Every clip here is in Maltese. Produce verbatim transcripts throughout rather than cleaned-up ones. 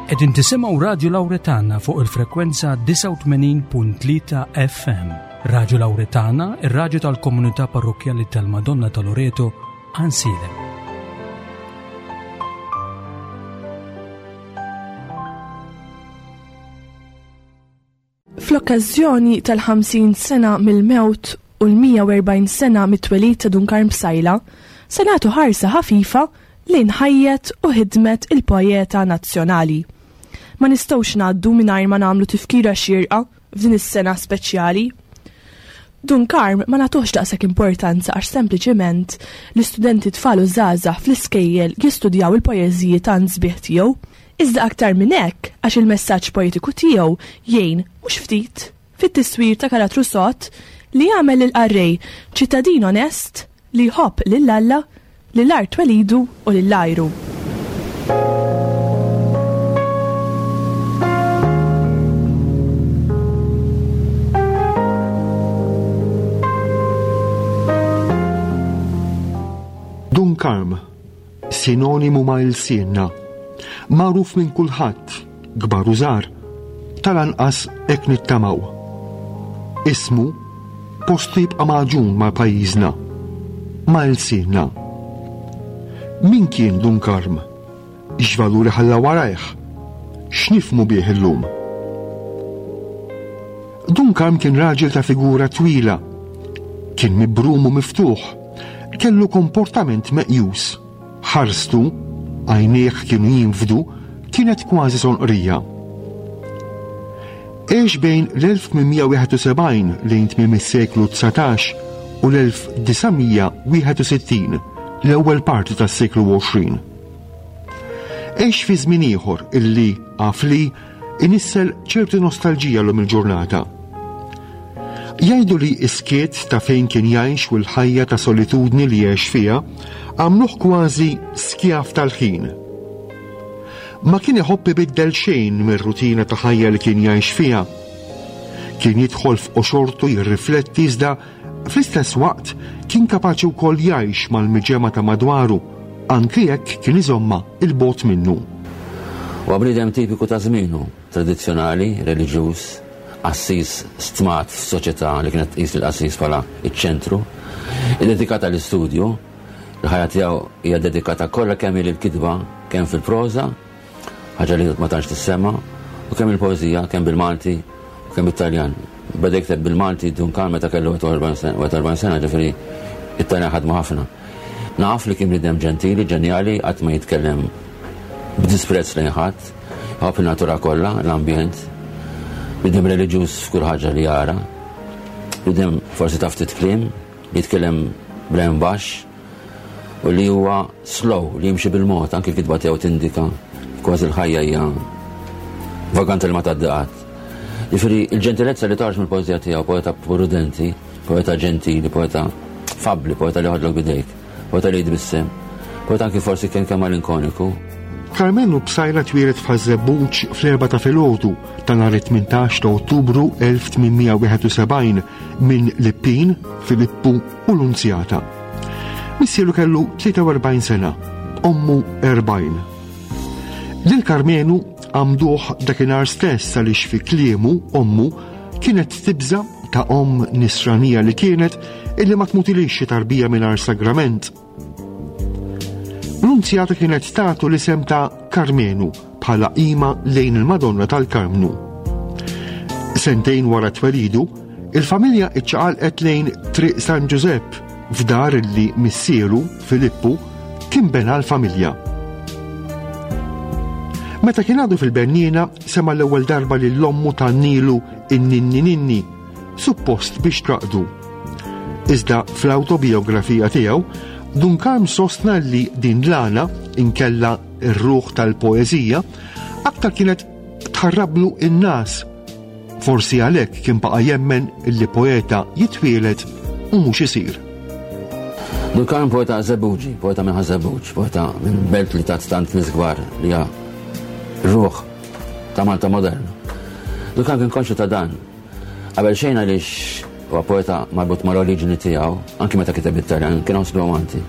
Qegħdin tisimgħu Radio Lauretana fuq il-frekwenza disgħa u tmenin punt tlieta F M. Radio Lauretana, ir-radju tal-Komunità Parrokkjali tal-Madonna ta' Loreto, Għajnsielem. Fl-okkażjoni tal-ħamsin sena mill-mewt u l-mija u erbgħin sena mit-twelid ta' Dun Karm Psaila, se nagħtu ħarsa ħafifa lejn ħajjet u ħidmet il-poeta nazzjonali. Ma nistgħux ngħaddu mingħajr ma nagħmlu tifkira xirqa f'din is-sena speċjali. Dun Karm ma nagħtuhx daqshekk importanza għax sempliċement l-istudenti tfal u żgħażagħ fl-iskejjel jistudjaw il-poeżiji tant sbieħ tiegħu. Iżda aktar minn hekk, għax il-messaġġ poetiku tiegħu jgħin mhux ftit fit-tiswir ta' karattru sod li jagħmel il-qarrej ċittadin onest li jħobb lil Alla, lil art twelidu u lil għajru. Dun Karm, sinonimu ma' ilsienna, magħruf minn kulħadd, kbar u żgħar, tal-anqas hekk nittamaw. Ismu postu jibqa' magħġun ma' pajjiżna, ma' ilsienna. Min kien Dun Karm? X'valuri ħalla warajh? X'nifhmu bih illum? Dun Karm kien raġel ta' figura twila, kien mibrum u miftuħ, kellu komportament meqjus. Ħarstu, għajnejh kienu jinfdu, kienet kważi sonqrija. Għex bejn l-elf tmien mija wieħed u sebgħin lejn tmiem is-seklu dsatax u l-elf disa' mija wieħed u sittin, l-ewwel parti tas-seklu għoxrin. Għex fi żmien ieħor illi għaf li inissel ċertu nostalġija llum il-ġurnata. Jgħidu li s-skiet ta' fejn kien jgħix u l-ħajja ta' solitudni li għex fiha għamluh kważi skjav tal-ħin. Ma kien iħobb ibiddel xejn mir-rutina ta' ħajja li kien jgħix fiha. Kien jidħol f'qoxortu jirrifletti, iżda fl-istess waqt kien kapaċi wkoll jgħix mal-miġemgħa ta' madwaru, anki jekk kien iżommha 'l bogħod minnu. Huwa bniedem tipiku ta' żmienu, tradizzjonali, reliġjuż, qassis stmat f'soċjetà li kienet tqis il-qassis bħala iċ-ċentru, iddedikata l-istudju, il-ħajja tiegħu hija dedikata kollha kemm il-kitba, kemm fil-proża, ħaġa li ma tantx tissemma, u kemm il-poeżija, kemm bil-Malti u kemm bit-Taljan. Beda jikteb bil-Malti Dun Karm meta kellu erbgħa u erbgħin sena, ġifieri it-Taljan ħadmu ħafna. Naf li kien bniedem ġentili, ġenjali, qatt ma jitkellem b'disprezz lejn ħadd, jħobb il-natura kollha, l-ambjent, bniedem reliġjuż f'kull ħaġa li jara, bniedem forsi ta' ftit kliem, li jitkellem b'leħen baxx, u li huwa slow, li jimxi bil-mod, anki kitba tiegħu tindika kważi l-ħajja hija vaganta li ma tgħaddi qatt. Jiġifieri il-ġentilezza li toħroġ mill-poeżija tiegħu, poeta prudenti, poeta ġentili, poeta fabbli, poeta li joħodlok b'idejk, poeta li jitbissem, poeta anki forsi kien kemm malinkoniku. Karmenu Psaila twieled f'Ħaż-Żebbuġ fl-erba ta' filgħodu ta' nhar it-tmintax ta' Ottubru elf tmien mija wieħed u sebgħin minn Lippin, Filippu u Lunzjata. Missieru kellu tlieta u erbgħin sena, ommu erbgħin. Lil Karmenu għamduh dakinhar stess għaliex fi kliemu ommu kienet tibża, ta' om nisranija li kienet, illi ma tmutilix xi tarbija mingħajr sagrament. Lunzjata kienet tatu l-isem ta' Karmenu bħala qima lejn il-Madonna tal-Karmnu. Sentejn wara twelidu, il-familja iċċaqalqet lejn Triq San Giuseppe f'dar li missieru Filippu kien bena l-familja. Meta kien għadu fil-Bernina, sema l-ewwel darba li l-ommu tgħannilu in-ninni ninni, suppost biex traqdu. Iżda fl-autobiografija tiegħu, Dun Karm sostna li din l-għana, inkella r-ruħ tal-poeżija, aktar kienet tħarrablu in-nas. Forsi għalhekk kien baqa' jemmen li poeta jitwieled u mhux isir. Dun Karm poeta Żebbuġi, poeta minn Ħaż-Żebbuġ, poeta minn belt li tat tant nies kbar li hija ruħ ta' Malta moderna. Dun Karm kien konxju ta' dan. Qabel xejn għaliex huwa poeta marbut mal-oriġini tiegħu, anki meta kiteb bit-Taljan, kien iħoss Malti.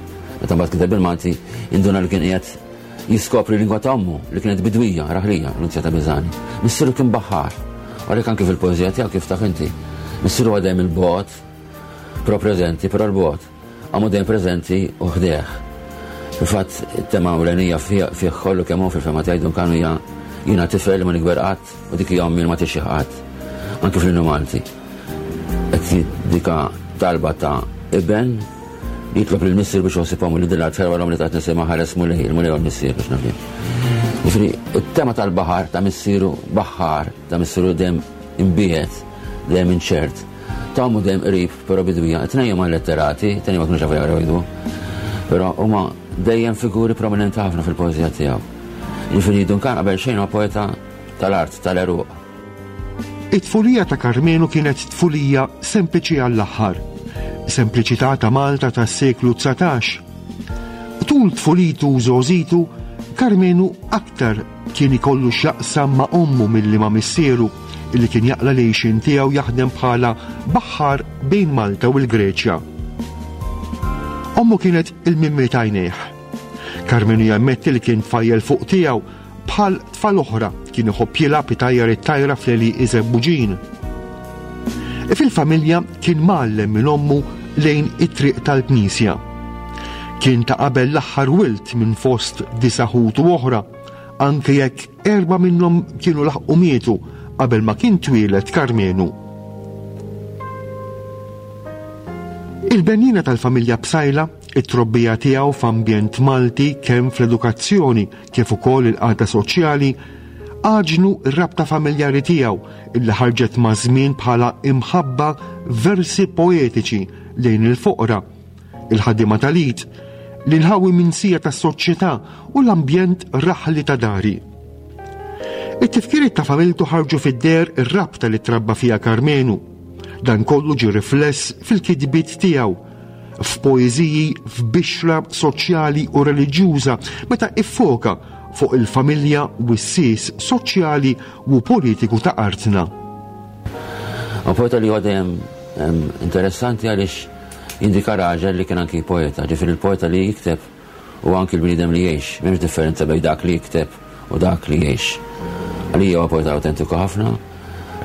Meta mbagħad kiteb bil-Malti, induna li kien qiegħed Jiskopri lingwa ta' ommu li kienet bidwija, raħlija, Nunzjata Biżani. Missieru kien baħħar. Għalhekk anke fil-poeżija tiegħu kif taf inti. Missieru għadem il-bot, pro preżenti, però l-bot. Għamu dejjem preżenti u ħdejh. Fil-fatt, it-tema ewlenija fih kollu kemm hu fil-fema tiegħi Dun Karm hija jiena tifel ma nikber qatt u dik hija ommi ma tixjieħ qatt. Anke fl-innu Malti. Qed dika talba ta' iben jitlob lil missier biex josib ommu li din l-art ħelwa l-om li ta' nisimha ħares Mulej, il-Mulej u l-missier biex nafim. Jiġifieri, it-tema tal-baħar ta' missieru baħar, ta' missieru dejjem imbiet, dejjem inċert. Ta' ommu dejjem qrib, però bidwija. Tnejn huma letterati, tnejn ma kinux jafu jaqraw jgħidu. Però huma dejjem figuri prominenti ħafna fil-poeżija tiegħu. Jiġifieri Dun Karm qabel xejn huwa poeta tal-art, tal-għeruq. It-tfulija ta' Karmenu kienet tfulija sempliċi għall-aħħar. Sempliċità ta' Malta tas-seklu dsatax. Tul tfulitu u żgħożitu, Karmenu aktar kien ikollu x'jaqsam ma' ommu milli ma' missieru, illi kien jaqla l-għixien tiegħu jaħdem bħala baħħar bejn Malta u l-Greċja. Ommu kienet il-mimmi t'għajnejh. Karmenu jammetti li kien tfajjel fuq tiegħu bħal tfal oħra kien iħobb jilgħab itajjar it-tajra fl-għelieqi Żebbuġin. Fil-familja kien mgħallem minn ommu lejn it-triq tal-Knisja. Kien ta' qabel l-aħħar wilt minn fost disa' ħutu oħra, anke jekk erba' minnhom kienu laħqu mietu qabel ma kien twieled Karmenu. Il-benjina tal-familja Psaila, it-trobbija tiegħu f'ambjent Malti kemm fl-edukazzjoni kif ukoll il-qagħda soċjali, għaġnu r-rabta familjari tiegħu illi ħarġet ma' żmien bħala imħabba versi poetiċi lejn il-foqra, il-ħaddiema tal-id, l-inħawi minsija tas-soċjetà u l-ambjent raħli ta' dari. It-tifkiriet ta' familtu ħarġu fid-der ir-rabta li trabba fiha Karmenu. Dan kollu ġie rifless fil-kitbiet tiegħu, f'poeżiji f'bixra soċjali u reliġjuża meta iffoka fuq il-familja u s-sis soċjali u politiku ta' artna. U poeta li huwa dejjem, em, interessanti għaliex jindika raġel li kien anki poeta, ġifieri il-poeta li jikteb u anki l-bniedem li jgħix, m'hemmx differenza bejn dak li jikteb u dak li jgħix. Għalija huwa poeta autentiku ħafna,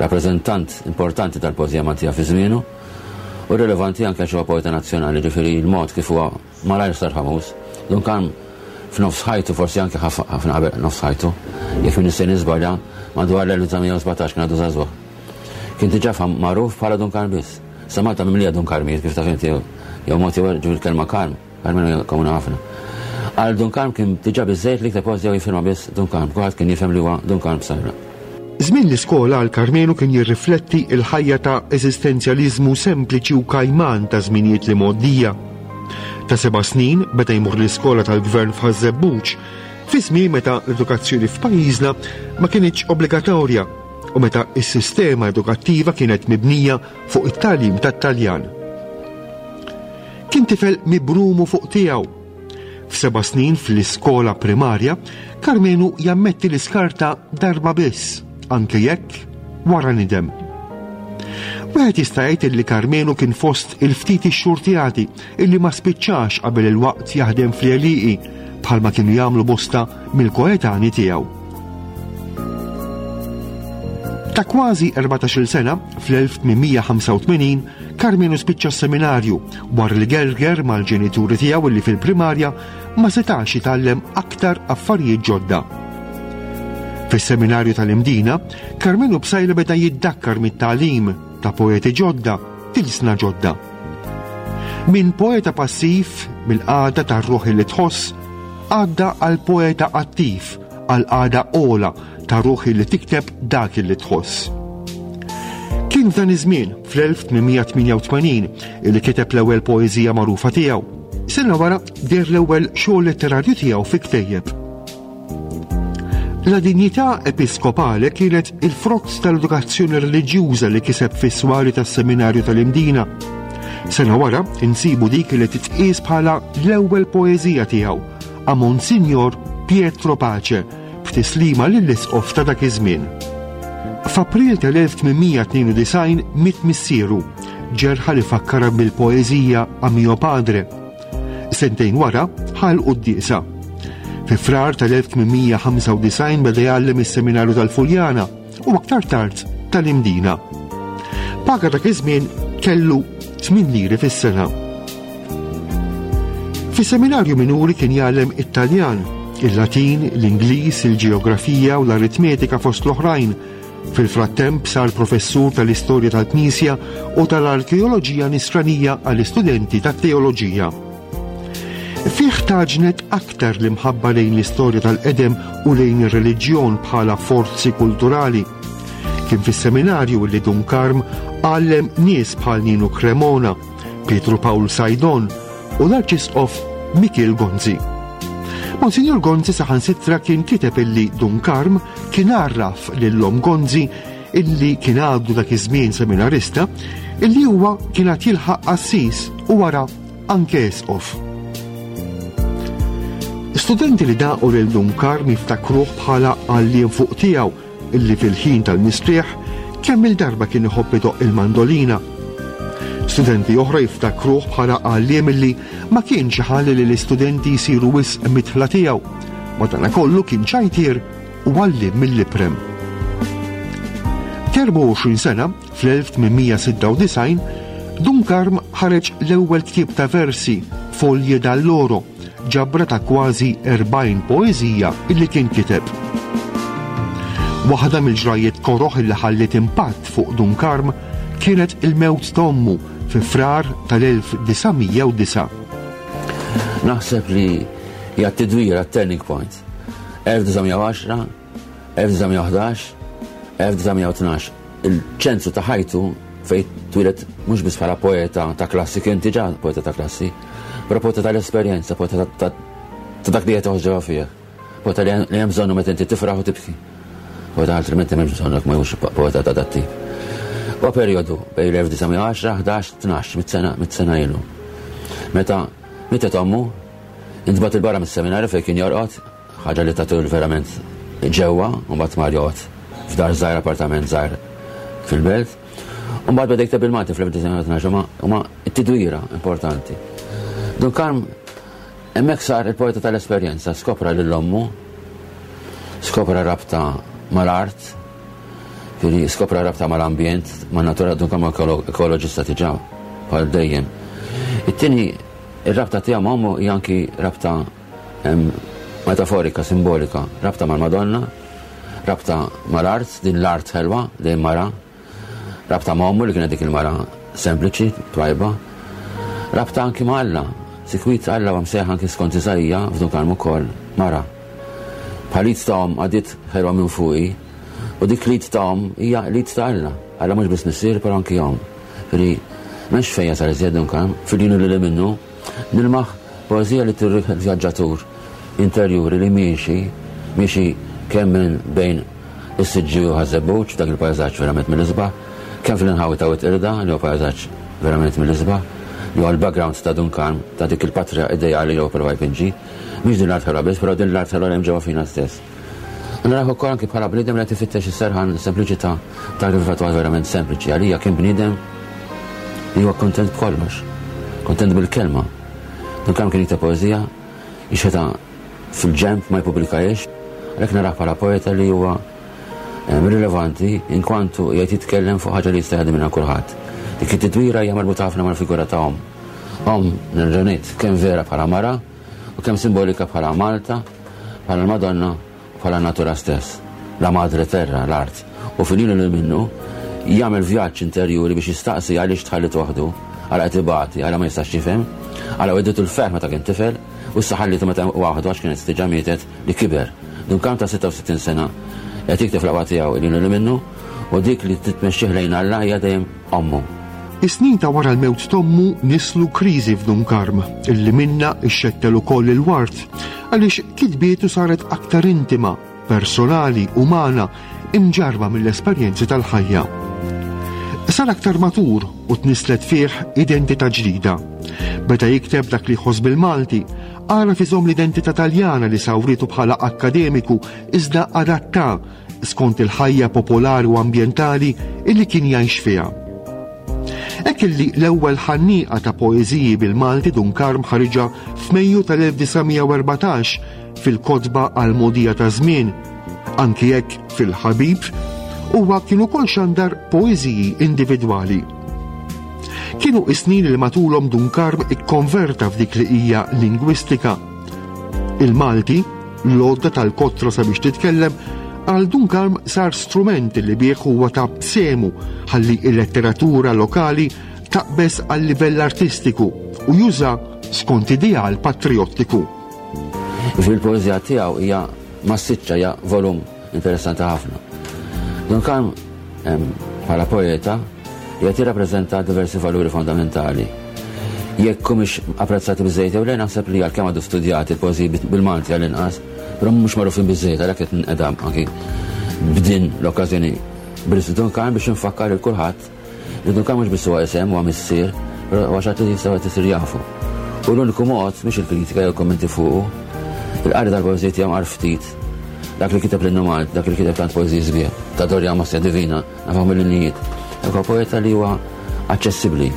rappreżentant importanti tal-poeżija Maltija fi żmienu u rilevanti anke għax huwa poeta nazzjonali, ġifieri l-mod kif huwa malajr sar famuż. Dun Karm f'nofs ħajtu, forsi anke ħaf-, ħafna qabel nofs ħajtu, jekk min nista' niżbalja, madwar l-elf disa' mija u sbatax kien għadu żagħżugħ. Kien diġà fam-, magħruf bħala Dun Karm biss. Sa Malta mimlija Dun Karmijiet, kif taf inti, jew mod jew ġifieri il-kelma Karm, Karmenu hija komuni ħafna. Għal Dun Karm kien diġà biżżejjed li kteb poeżija u jifirma biss Dun Karm, kulħadd kien jifhem li huwa Dun Karm Psaila. Żmien l-iskola għal Karmenu kien jirrifletti l-ħajja ta' eżistenzjaliżmu sempliċi u kajman ta' żminijiet li mgħoddija. Ta' seba' snin beda jmur l-iskola tal-gvern f'Ħaż-Żebbuġ, fi żmien meta l-edukazzjoni f'pajjiżna ma kinitx obbligatorja u meta s-sistema edukattiva kienet mibnija fuq it-tagħlim tat-Taljan. Kien tifel mibrumu fuq tiegħu. F'seba' snin fl-iskola primarja, Karmenu jammetti l-iskarta darba biss, anke jekk wara nidem. Wieħed jista' jgħid li Karmenu kien fost il-ftit ixxurtjati illi ma spiċċax qabel il-waqt jaħdem fl-għelieqi bħalma kienu jagħmlu bosta mill-koetani tiegħu. Ta' kważi erbatax-il sena, fl-elf tmien mija ħamsa u tmenin, Karmenu spiċċa s-seminarju wara li gerger mal-ġenituri tiegħu illi fil-primarja ma setax jitgħallem aktar affarijiet ġodda. Fis-seminarju tal-Imdina, Karmenu Psaila beda jiddakkar mit-tagħlim ta' poeti ġodda, tilsna ġodda. Minn poeta passiv, mill-qagħda tar-ruħ li tħoss, għadda għal poeta attiv, għal qagħda ola ta' ruħ li tikteb dak li tħoss. Kien f'dan iż-żmien, fl-elf tmien mija tmienja u tmenin, illi kiteb l-ewwel poeżija magħrufa tiegħu. Sena wara deher l-ewwel xogħol letterarju tiegħu fi ktejjeb. La dinjità episkopale kienet il-frott tal-edukazzjoni reliġjuża li kiseb fis-swari tas-seminarju tal-Imdina. Sena wara insibu dik li titqies bħala l-ewwel poeżija tiegħu, a Monsignor Pietro Pace, b'tislima lill-isqof ta' dak iż-żmien. F'April tal-elf tmien mija tnejn u disgħin miet missieru, ġerħa li fakkara bil-poeżija A mio padre. Sentejn wara ħal quddiesa. Fi Frar tal-elf tmien mija u ħamsa u disgħin beda jgħallem is-seminarju tal-Fuljana u aktar tard tal-Imdina. Paga dak iż-żmien kellu tmien liri fis-sena. Fis-seminarju minuri kien jgħallem Italjan, il-Latin, l-Ingliż, il-Ġeografija u l-Aritmetika fost l-oħrajn. Fil-frattemp sar professur tal-istorja tal-Knisja u tal-arkeoloġija nisranija għall-istudenti tat-teoloġija. Fih tgħaġnet aktar l-imħabba lejn l-istorja tal-qedem u lejn ir-reliġjon bħala forzi kulturali. Kien fis-seminarju li Dun Karm għallem nies bħal Ninu Cremona, Pietru Pawl Saydon u l-Arċisqof Mikiel Gonzi. Monsignor Gonzi saħansitra kien kiteb illi Dun Karm kien għarraf lil omm Gonzi, illi kien għadu dak iż-żmien seminarista, illi huwa kien għad jilħaq qassis u wara anke isqof. Studenti li daqu lil Dun Karm jiftakruh bħala għalliem fuq tiegħu illi fil-ħin tal-mistrieħ kemm il-darba kien iħobb idoqq il-mandolina. Studenti oħra jiftakruh bħala għalliem illi ma kienx ħalli li l-istudenti jsiru wisq midħla tiegħu. Madankollu kien ċajtier u għalliem mill-iprem. T'erbgħa u għoxrin sena, fl-elf tmien mija u sitta u disgħin, Dun Karm ħareġ l-ewwel ktieb ta' versi, Foglie d'Alloro, ġabra ta' kważi erbgħin poeżija illi kien kiteb. Waħda mill-ġrajiet koroħ illi ħalliet impatt fuq Dun Karm kienet il-mewt t'ommu fi Frar tal-elf disa' mija u disgħa. Naħseb li hija t-tidwira, turning point. elf disa' mija u għaxra, elf disa' mija u ħdax, elf disa' mija u tnax. Il-ċentru ta' ħajtu fej twieled mhux biss bħala poeta ta' klassi, kien diġà poeta ta' klassi, però poeta tal-esperjenza, poeta ta' dak li qed ġewwa fih. Poeta li hemm bżonnu meta inti tifraħ u tibki. Poeta altrimenti m'hemmx bżonnok, ma jux poeta ta' dat tip. U periodu bejn l-elf disa' mija u għaxra, ħdax, tnax, mitt sena, mitt sena ilu. Meta mietet ommu, intbagħat 'il barra mis-seminarju fejn kien jorqod, ħaġa li tatu verament ġewwa, u mbagħad mar joqgħod f'dar żgħir, appartament żgħir fil-belt. U mbagħad beda jikteb il-Malti fl-elf disa' mija u tnax, huma t-tidwira importanti. Dun Karm hemmhekk sar il-poeta tal-esperjenza, skopra lil ommu, skopra rabta mal-art, Fili skopra rabta mal-ambjent, ma' natura. Dun Karm ekoloġista diġà, bħal dejjem. It-tieni, ir-rabta tiegħu ma' ommu hija anki rabta metaforika, simbolika, rabta mal-Madonna, rabta mal-art, din l-art ħelwa, dejjem mara, rabta ma' ommu li kienet dik il-mara sempliċi, twajba, rabta anki ma' Alla, sikwit Alla huwa msejjaħ anki skont Isaija f'Dun Karm ukoll, mara. Bħal id ta' omm għaddiet ħelwa minn fuqi, u dik l-id ta' omm hija l-id ta' Alla. Alla mhux biss missier, però anki omm. Fili, m'hemmx fejn jasal iżjed Dun Karm, fil-jinu li minnu, nilmaħ poezija li turrik vjaġġatur interjuri li miexi, miexi kemm minn bejn is-Siġġiewi u Ħaż-Żebbuġ, dak il-pajzaġġ verament mill-isbaħ, kemm fl-inħawi ta' Wied Qirda, li huwa pajzaġġ verament mill-isbaħ, li huwa l-background ta' Dun Karm, ta' dik il-patria ideali li huwa prova jpinġi. Mhix din l-art ħelwa biss, però din l-art ħelwa li hemm ġewwa fina stess. Naraħ ukoll anki bħala bniedem li qed ifittex is-serħan, sempliċità tal-kif verament sempliċi. Għalija kien bniedem li huwa kontent b'kollox, kontent bil-kelma. Dun Karm kien jikteb poeżija, jixħetha fil-ġenb, ma jpubblikahiex, għalhekk narah bħala poeta li huwa rilevanti in kwantu jgħid jitkellem fuq ħaġa li jista' jgħaddi minnha kulħadd. Dik it-tidwira hija marbuta ħafna mal-figura ta' omm. Omm, nerġa' ngħid, kemm vera bħala mara u kemm simbolika bħala Malta, bħala l-Madonna, bħala natura stess. La madre terra, l-art. U fil-jinu li minnu jagħmel vjaġġ interjuri biex jistaqsi għaliex tħallit waħdu, għala qed ibati, għala ma jistax jifhem, għala wegħditu l-ferħ meta kien tifel, u issa ħallitu meta waħdu għax kienet diġà mietet li kiber. Dun Karm ta' sitta u sittin sena qed jikteb fl tiegħu il li minnu, u dik li titmexxih lejn Alla hija dejjem ommu. Is-snin ta' wara l-mewt t'ommu nislu kriżi f'Dun Karm illi minna ixxettel ukoll il-ward, għaliex kitbietu saret aktar intima, personali, umana, imġarba mill-esperjenzi tal-ħajja. Sar aktar matur u tnislet fih identità ġdida. Beda jikteb dak li jħoss bil-Malti, għaraf iżomm l-identità Taljana li sawritu bħala akkademiku, iżda adatta skont il-ħajja popolari u ambjentali illi kien jgħix fiha. Hekk Hekk illi l-ewwel ħannieqa ta' poeżiji bil-Malti Dun Karm ħariġha f'Mejju tal-elf disa' mija u erbatax fil-kotba għall-mogħdija ta' żmien, anki jekk fil-Ħabib huwa kien ukoll xandar poeżiji individwali. Kienu is-snin li matulhom Dun Karm ikkonverta f'dik li hija lingwistika. Il-Malti, l-għodda tal-kotra sabiex titkellem, għal Dun Karm sar strument li bih huwa ta' semu ħalli il-letteratura lokali taqbeż għal livell artistiku u juża skont ideal patriottiku. Fil-poeżija tiegħu hija massiċċa, hija volum interessanti ħafna. Dun Karm, em, bħala poeta qiegħed jirrappreżenta diversi valuri fondamentali. Jekk mhux apprezzati biżejjed jew le, naħseb li għalkemm għadu studjati il-poeżiji bil-Malti għall-inqas, però mhux magħrufin biżejjed, għalhekk qed nqedam anki b'din l-okkażjoni bl-isem Dun Karm biex nfakkar lil kulħadd li Dun Karm mhux biss huwa isem, huwa missier, però huwa xi ħadd li jistgħu qed isir jafu. U l-uniku mod mhix il-kritika jew kommenti fuqu, il-qari tal-poeżiji tiegħu għar ftit. Dak li kiteb l-innu Malti, dak li kiteb tant poeżiji sbieħ, ta' Dorja Mosja Divina, nafhom mill-innijiet. Dak huwa poeta li huwa aċċessibbli.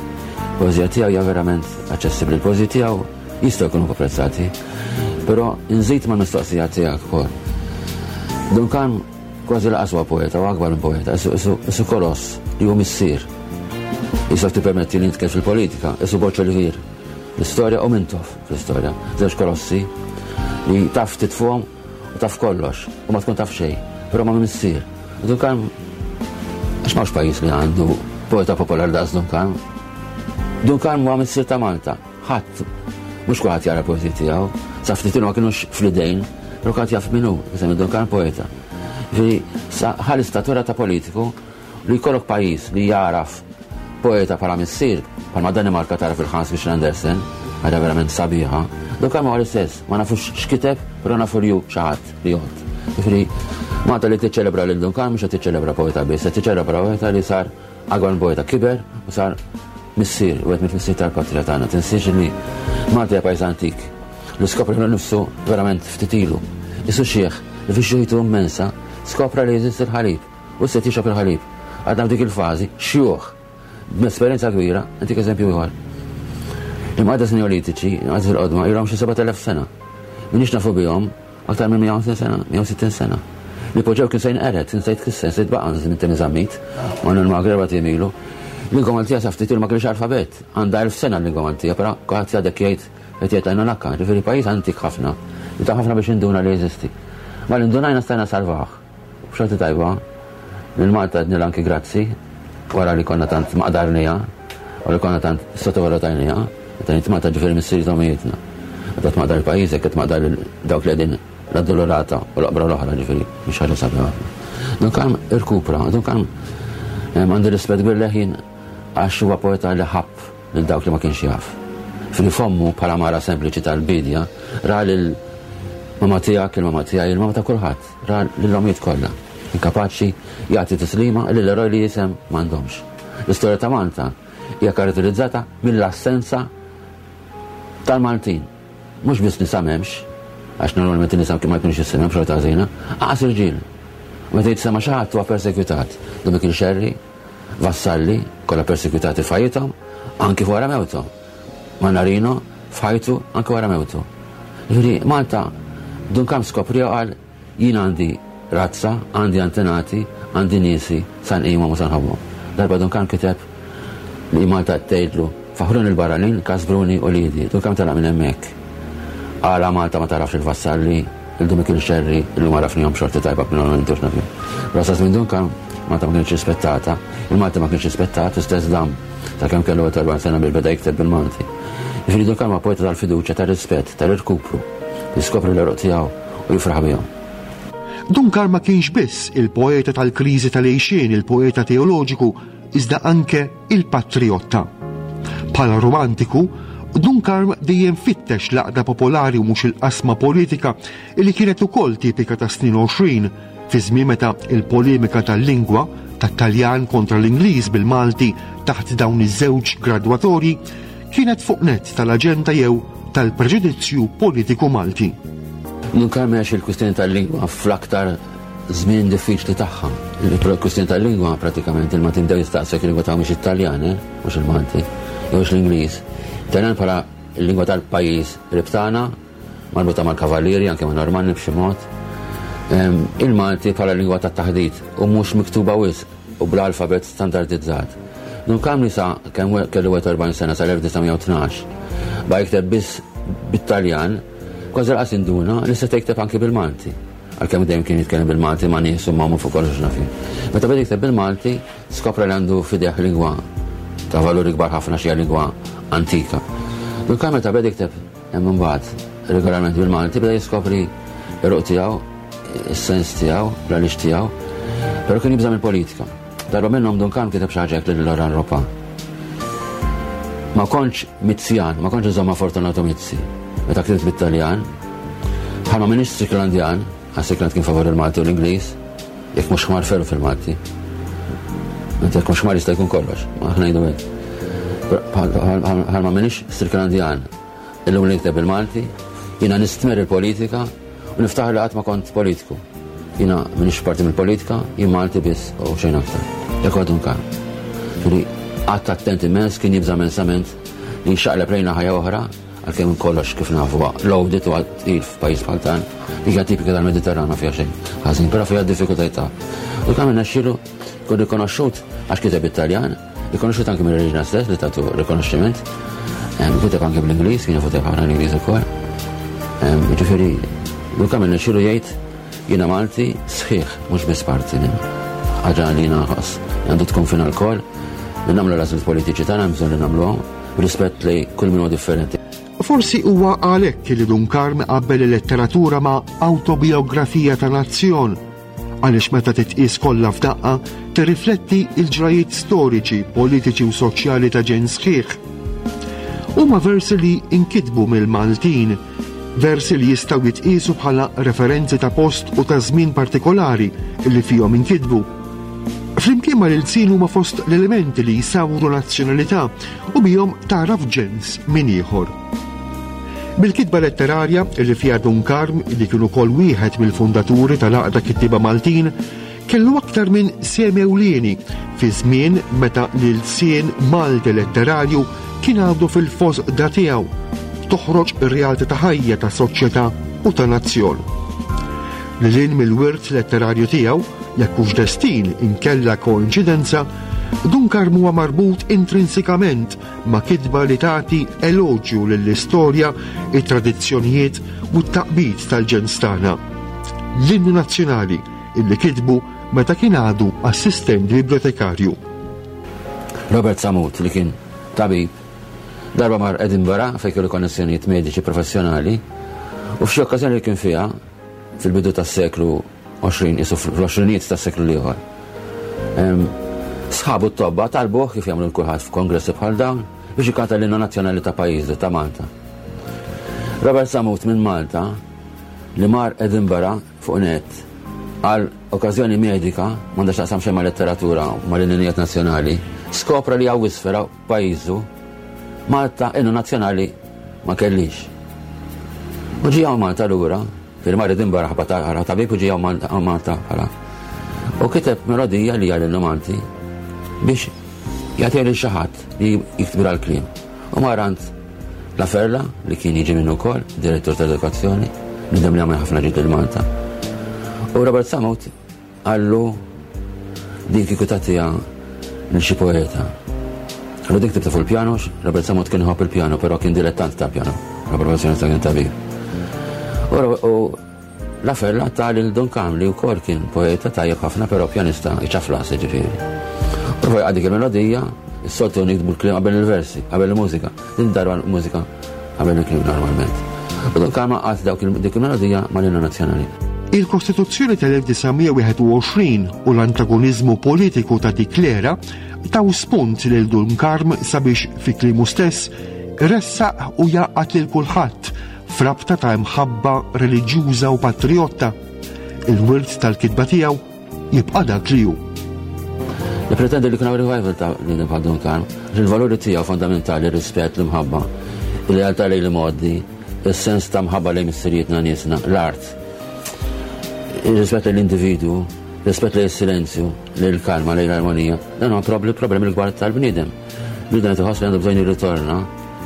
Poeżija tiegħu hija verament aċċessibbli. Il-poeżiji tiegħu jistgħu jkunu apprezzati, però nżid mal-mistoqsija tiegħek ukoll. Dun Karm kważi laqas huwa poeta, u akbar minn poeta, isu, isu, isu koloss li hu missier. Jistgħu tippermetti li nitkellem fil-politika, isu Borg Olivier. L-istorja u Mintoff fl-istorja, żewġ kolossi li taf titfuhom u taf kollox u ma tkun taf xejn, però ma missier. U Dun Karm għax m'hawnx pajjiż li għandu poeta popolari daqs Dun Karm. Dun Karm huwa missier ta' Malta. Ħadd, mhux kulħadd jara poeżiji tiegħu, sa ftit ilu ma kinux fl-idejn, però kulħadd jaf min hu, isem Dun Karm poeta. Ġifieri, sa ħa l-istatura ta' politiku li jkollok pajjiż li jaraf poeta bħala missier, bħalma Danimarka tara fil-Hans Christian Andersen, ħaġa verament sabiħa. Dun Karm huwa l-istess, ma nafux x'kiteb, però nafu li hu xi ħadd li jgħod. Ġifieri, Malta li tiċċelebra lil Dun Karm mhux qed tiċċelebra poeta biss, qed tiċċelebra poeta li sar akbar minn poeta, kiber u sar missier, u qed missier tal-patrija tagħna. Tinsiex li Malta hija pajjiż antik. Li skopra lilu nnifsu verament ftit ilu. Isu xieħ li fi xjuħitu immensa skopra li jeżisti l-ħalib u se tixrob il-ħalib. Għadna f'dik il-fażi xjuħ b'esperjenza kbira, intik eżempju ieħor. L-imqaddes neolitiċi, l-imqaddes il-qodma, ilhom xi sebat elef sena. Minix nafu bihom aktar minn mija u ħamsin sena, mija u sittin sena. Li poġġew kien se jinqered, kien se jitkisser, se jitbaqa' minn Temi Zammit, ma n-magre erbat ijiem ilu. Lingwa Maltija sa ftit ilu ma kienx alfabet, għandha elf sena l-lingwa Maltija, però kulħadd għadek jgħid qed jgħid għajnu nakka, ġifieri pajjiż antik ħafna, li ta' ħafna biex induna li jeżisti. Ma l-indunajna stajna salvah. B'xorti tajba, lil Malta għednilha anki grazzi, wara li konna tant maqdarnija, u li konna tant sottovalutajnija, meta ngħid Malta ġifieri missieri tomijietna. Meta tmaqdar il-pajjiżek, qed tmaqdar dawk li qegħdin l-addolorata u l-oqbra l-oħra, ġifieri mhix ħaġa sabiħa ħafna. Dun Karm irkupra, Dun Karm, em, għandi rispett kbir leħin għax huwa poeta li ħabb lil dawk li ma kienx jaf. Fili fommu bħala mara sempliċi tal-bidja, ra lil mama tiegħek, il-mama tiegħi, il-mama ta' kulħadd, ra lill-omijiet kollha. Inkapaċi jagħti tislima lil eroj li jisem m'għandhomx. L-istorja ta' Malta hija karatterizzata mill-assenza tal-Maltin. Mhux biss nisa m'hemmx, għax normalment in-nisa ma jkunux jissemmew xorta ħażina, aqas irġiel. Meta jitsema xi ħadd huwa persekwitat. Dun Mikiel Xerri, Vassalli, kollha persekwitati f'ħajjithom, anki wara mewthom. Mannarino f'ħajtu anki wara mewtu. Ġifieri Malta Dun Karm skoprija qal jien għandi razza, għandi antenati, għandi niesi, san qimhom u san ħobbhom. Darba Dun Karm kiteb li Malta tgħidlu faħruni l-barranin, kasbruni u lidi. Dun Karm telaq minn hemmhekk. Għala Malta ma tarafx il-Vassalli, il-Dun Mikiel Xerri, illum għarafnihom xorti tajba minn ma nintux nafhom. Però sa minn Dun Karm Malta ma kienx rispettata, il-Malta ma kienx rispettat, istess dam sakemm kellu erbgħin sena biex beda jikteb bil-Malti. Jiġifieri Dun Karm huwa poeta tal-fiduċja, tar-rispett, tal-irkupru, jiskopri l-eruq tiegħu u jifraħ bihom. Dun Karm ma kienx biss il-poeta tal-kriżi tal-għejxien, il-poeta teoloġiku, iżda anke il-patriotta. Bħala romantiku, Dun Karm dejjem fittex l-għaqda popolari u mhux il-qasma politika li kienet ukoll tipika ta' snin għoxrin, fi żmien meta il-polemika tal-lingwa tat-Taljan kontra l-Ingliż bil-Malti taħt dawn iż-żewġ gradwatorji kienet fuq net tal-aġenda jew tal-preġudizzju politiku Malti. Dun Karm għax il-kwistjoni tal-lingwa fl-aktar żmien diffiċli tagħha. Il-kwistjoni tal-lingwa pratikament il-Maltin bdew jistaqsu jekk il-lingwa tagħhom mhix Italjan, eh? Mhux il-Malti, jew l-Ingliż. Italjan bħala il-lingwa tal-pajjiż qrib tagħna, marbuta mal-kavallieri, anke ma' Normanni b'xi mod. Il-Malti bħala lingwa tat-taħdit u mhux miktuba wisq u bl-alfabet standardizzat. Dun Karm li sa kemm kellu erbgħa u erbgħin sena sal-elf disa' mija u tnax ba jikteb biss bit-Taljan, kważi lanqas induna li seta' jikteb anki bil-Malti. Għalkemm dejjem kien jitkellem bil-Malti ma' nies u ma' fuq kollox nafi. Meta beda jikteb bil-Malti, skopra li għandu f'idejh lingwa ta' valuri kbar ħafna, xi lingwa antika. Dun Karm meta beda jikteb hemm imbagħad regolarment bil-Malti beda jiskopri r-ruq tiegħu, is-sens tiegħu, l-għaliex tiegħu, però kien jibża' mill-politika. Darba minnhom Dun Karm kiteb xi ħaġa lil Loranne Ropa. Ma kontx Mizzjan, ma kontx insomma Fortunato Mizzi. Meta ktibt bit-Taljan, bħalma m'iniex Stricklandian, għax Strickland kien favur il-Malti u l-Ingliż, jekk mhux ħmar ferru fil-Malti. Meta jekk mhux ħmar jista' jkun kollox, ma aħna ngħidu hekk. Bħalma m'iniex Stricklandian, illum li nikteb bil-Malti, jiena nistmerr il-politika u niftaħar li qatt ma kont politiku. Jiena m'iniex parti mill-politika, jien Malti biss u xejn aktar. Jekk għadu Karm. Ġifieri qatt attent immens, kien jibża' immensament li xaqleb lejna ħajja oħra, għalkemm kollox kif nafu loaded u tqil f'pajjiż bħal dan, li hija tipika tal-Mediterran, ma fiha xejn ħażin, però fiha diffikultajiet. U kemm irnexxielu kun rikonoxxut għax kiteb it-Taljan, rikonoxxut anke mill-reġina stess li tatu rikonoxximent, kiteb anke bl-Ingliż, kien jafu ħafna l-Ingliż ukoll. Ġifieri, u kemm irnexxielu jgħid jiena Malti sħiħ, mhux biss parti minn. Ħaġa li jiena nħoss għandu tkun fina lkoll, li nagħmlu l-għażliet politiċi tagħna bżonn li nagħmluhom rispett li kull min huwa differenti. Forsi huwa għalhekk li Dun Karm qabbel il-letteratura ma' autobiografija ta' nazzjon, għaliex meta titqis kollha f'daqqa tirrifletti il-ġrajiet storiċi, politiċi u soċjali ta' ġen sħiħ. Huma versi li inkitbu mill-Maltin, versi li jistgħu jitqisu bħala referenzi ta' post u ta' żmien partikolari li fihom inkitbu. Flimkien ma l-ilsien huma fost l-elementi li jsawru nazzjonalità u bihom tagħraf ġens minn ieħor. Bil-kitba letterarja li fiha Dun Karm, li kienu kol wieħed mill-fundaturi tal-Għaqda Kittieba Maltin, kellu aktar minn sehem ewlieni fi żmien meta l-ilsien Malti letterarju kien għadu fil-fosda tiegħu, toħroġ ir-realtà ta' ħajja ta' soċjetà u ta' nazzjon. Lil mill-wirt letterarju tiegħu, jekk hux destin inkella koinċidenza, Dun Karm huwa marbut intrinsikament ma' kitba li tagħti eloġju lill-istorja, it-tradizzjonijiet u t-taqbid tal-ġens tagħna. L-innu nazzjonali illi kitbu meta kien għadu assistent bibliotekarju. Robert Samut, li kien tabib, darba mar Edinburgh fejn kellu konnessjonijiet mediċi professjonali u f'xi okkażjoni li kien fiha fil-bidu tas-seklu għoxrin, isu fl-għoxrinijiet tas-seklu l-ieħor. Sħabu t-tobba talbuh, kif jagħmlu kulħadd f'kongressi bħal dawn, biex ikanta l-innu nazzjonali ta' pajjiżu, ta' Malta. Robert Samut minn Malta li mar Edinburgh fuq net għal okkażjoni medika, m'għandax taqsam xejn ma' letteratura u ma' l-innijiet nazzjonali, skopra li hawn isfel pajjiżu Malta innu nazzjonali ma kellix. U ġie hawn Malta lura, fil-mar Edinburgh ħabba tabib u ġie hawn Malta bħala. U kiteb melodija li għal Malti biex jagħtiha lil xi ħadd li jiktbira l-kliem. U mar għand Laferla, li kien jiġi minnu wkoll, direttur tal-edukazzjoni, bniedem li għamel ħafna ġid il-Malta. U Robert Samut qallu din kieku tagħtiha lil xi poeta. Qallu dik tibta fuq il-pjano, Robert Samut kien iħobb il-pjano, però kien dilettant ta' pjano, la professjoni ta' kien tabib. U Laferla ta lil Dun Karm, li wkoll kien poeta tajjeb ħafna, però pjanista iċaflas ġifieri. U fuq dik il-melodija, is-soltu niktbu l-kliem qabel il-versi, qabel il-mużika. Din darba l-mużika qabel il-kliem normalment. U Dun Karm għaqqad dawk dik il-melodija mal-innu nazzjonali. Il-Kostituzzjoni tal-elf disa' mija u wieħed u għoxrin u l-antagonizmu politiku ta' dik l-era taw spunt lil Dun Karm sabiex fi kliemu stess ressaq u jgħaqqad lil kulħadd frabta ta' imħabba reliġjuża u patriotta. Il-wirt tal-kitba tiegħu jibqa' dak li hu. Nipretendi li kuna revival ta' li bħal Dun Karm, il-valuri tiegħu fondamentali, rispett, l-imħabba, il-lealtà lejn il-modi, il-sens ta' mħabba lejn missirijietna, niesna, l-art. Ir-rispett l-individu, rispett lejn silenzju, lejn il-kalma, lejn l-armonija, dan huwa problemi l-kbar tal-bniedem. Bniedem qed iħoss li għandu bżonn jirritorna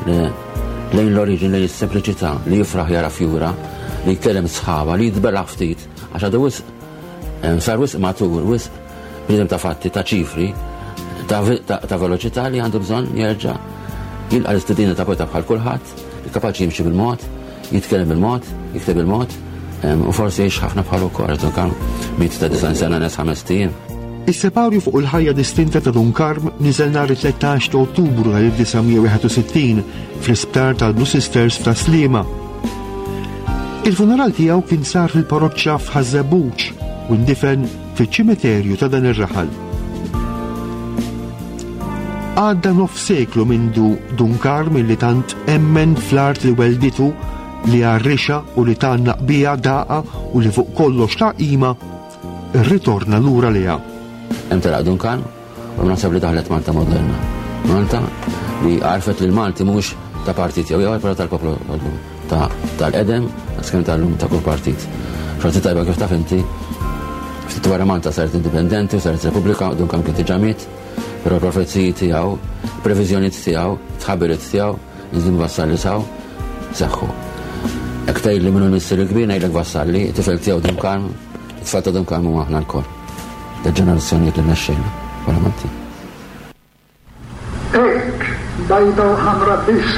lejn l-oriġin, lejn is-sempliċità, li jifraħ jara fjura, li jitkellem sħaba, li jitbella ftit, għax għadu wisq sar wisq matur, wisq bniedem ta' fatti, ta' ċifri, ta' veloċità li għandu bżonn jerġa' jilqa' l-istedina ta' poeta bħal kulħadd, li kapaċi jimxi bil-mod, jitkellem bil-mod, jikteb bil-mod, u forsi jgħix ħafna bħal ukoll, Dun Karm miet ta' disgħin sena nes ħames ijiem. Is-separju fuq il-ħajja distinta ta' Dun Karm niżel nhar it-tlettax ta' Ottubru tal-elf disa' mija wieħed u sittin fl-isptar tal-Blue Sisters f'Tas-Sliema. Il-funeral tiegħu kien sar fil-parroċċa f'Ħaż-Żebbuġ u ndifen fiċ-ċimiterju ta' dan ir-raħal. Għadda nof seklu mindu Dun Karm li tant emmen fl-art li welditu, li għarrixa u li tgħannaq bija daqa u li fuq kollox ta' qima, irritorna lura liha. Hemm telaq Dun Karm u naħseb li daħlet Malta moderna. Malta li għarfet li l-Malti mhux ta' partit jew ieħor, però tal-poplu ta' tal-qedem, skem tal-lum ta' kull partit. Xorti tajba kif taf inti, ftit wara Malta saret indipendenti u saret Repubblika, Dun Karm kien diġà miet, però l-profeziji tiegħu, previżjonijiet tiegħu, tħabbiriet tiegħu, nżim Vassalli saw, seħħu. Jekk tgħid li minnu l-missier il-kbir ngħidlek Vassalli, tifel tiegħu Dun Karm, it-tfal ta' Dun Karm huma aħna lkoll. Ta' ġenerazzjonijiet li mexxejna bħala Maltin. Hekk, bajda u ħamra biss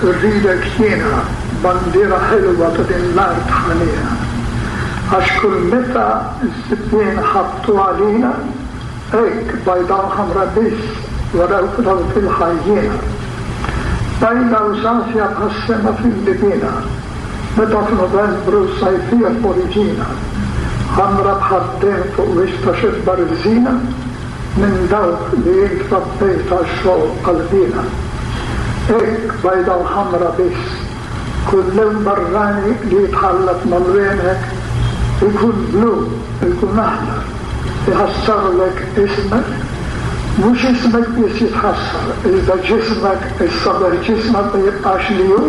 rridek jiena, bandiera ħelwa ta' din l-art ħanina. Għax kull meta z-żibien ħabtu għalina, hekk bajda u ħamra biss waraw dawk il-ħajjina. Bajda u safja bħas-sema fil-libina, meta f'Novembru sajfija f'oriġina, ħamra bħad-demm fuq wiċċ ta' xebba rżina, minn dawk li int rabbejt għax-xogħol qalbina. Hekk bajda u ħamra biss, kull lewn barrani li jitħallat mal-wienek, ikun blu, ikun aħdar, iħassarlek ismek, mhux ismek biss jitħassar, iżda ġismek, is-saber ġismek ma jibqax li hu,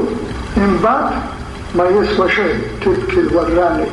imbagħad ma jiswa xejn tibki l-warrani.